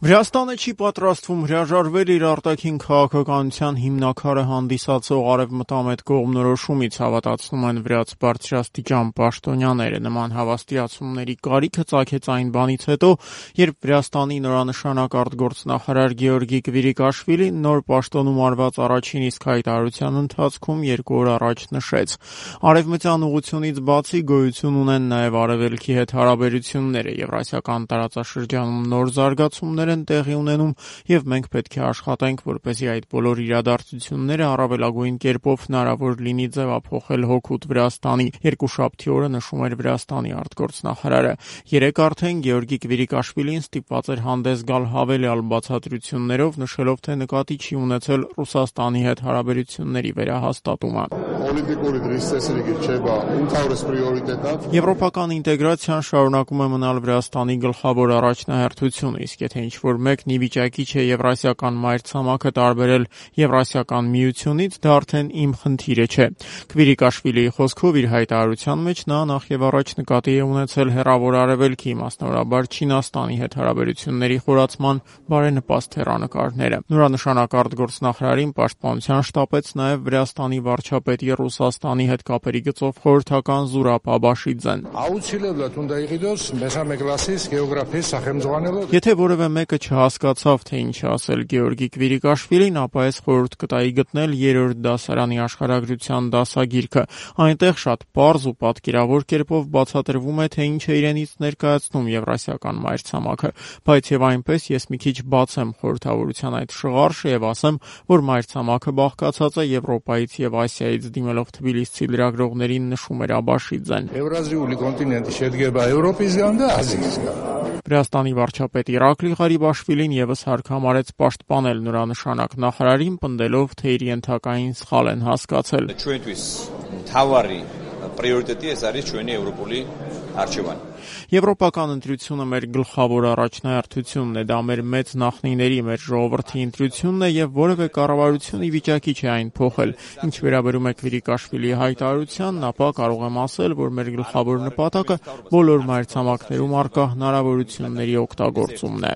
Վրաստանը չի պատրաստվում հրաժարվել իր արտաքին քաղաքականության հիմնաքարը հանդիսացող արևմտամետ կողմնորոշումից, հավատացնում են վրաց բարձրաստիճան պաշտոնյաները։ Նման հավաստիացումների կարիքը ծագեց այն բանից հետո, երբ Վրաստանի նորանշանակ արտգործնախարար Գեորգի Կվիրիկաշվիլին նոր պաշտոնում արված առաջին իսկ հայտարարության ընթացքում 2 օր առաջ նշեց. արևմտյան ուղղությունից բացի գոյություն ունեն նաև արևելքի հետ հարաբերությունները, եվրասիական տարածաշրջանում նոր զարգացումներ են տեղի ունենում եւ մենք պետք է աշխատենք, որպեսզի այդ բոլոր իրադարձությունները առավելագույն կերպով հնարավոր լինի ձևափոխել հօգուտ Վրաստանի։ Երկուշաբթի օրը նշում էր Վրաստանի արտգործնախարարը։ Երեկ արդեն Գեորգի Կվիրիկաշվիլին ստիպված էր հանդես գալ հավելյալ բացատրություններով, նշելով, թե նկատի չի ունեցել Ռուսաստանի հետ հարաբերությունների վերահաստատումը։ Եվրոպական ինտեգրացիան շարունակում է մնալ Վրաստանի գլխավոր առաջնահերթությունը, իսկ եթե ինչ-որ մեկն ի վիճակի չէ եվրասիական մայրցամաքը տարբերել Եվրասիական միությունից, դա արդեն իմ խնդիրը չէ։ Կվիրիկաշվիլիի խոսքով իր հայտարարության մեջ նա նախ եւ առաջ նկատի է ունեցել հեռավոր արևելքի, մասնավորաբար Չինաստանի հետ հարաբերությունների խորացման բարենպաստ հեռանկարները։ Նորանշանակ արտգործնախարարին պաշտպանության շտապեց նաև Վրաստանի վարչապետի Ռուսաստանի հետ կապերի գծով խորհրդական Զուրաբ Աբաշիձեն։ Եթե որևէ մեկը չհասկացավ, թե ինչ ասել Գեորգի Կվիրիկաշվիլին, ապա ես խորհուրդ կտայի գտնել 3-րդ դասարանի աշխարհագրության դասագիրքը։ Այնտեղ շատ պարզ ու պատկերավոր կերպով բացատրվում է, թե ինչ է իրենից ներկայացնում եվրասիական մայրցամաքը, բայց եւ այնպես ես մի քիչ բացեմ խորհրդավորության այդ շղարշը եւ ասեմ, որ մայրցամաքը բաղկացած է Եվրոպայից եւ Ասիայից, դիմելով Թբիլիսցի լրագրողներին նշում էր Աբաշիձեն։ Եվրազիուլի կոնտինենտի შედგება Եվրոպისგან და Ազիისგან։ Վրաստանի վարչապետ Իրակլի Ղարիբաշվիլին եւս հարկ համարեց պաշտպանել նորանշանակ նախարարին, պնդելով, թե իր ենթակային սխալ են հասկացել։ Եվրոպական ընտրությունը մեր գլխավոր առաջնահերթությունն է, դա մեր մեծ նախնիների, մեր ժողովրդի ընտրությունն է եւ որևէ կառավարություն ի վիճակի չէ այն փոխել։ Ինչ վերաբերում է Կվիրիկաշվիլիի հայտարարությանն, ապա կարող եմ ասել, որ մեր գլխավոր նպատակը բոլոր մայրցամաքներում առկա հնարավորությունների օգտագործումն է։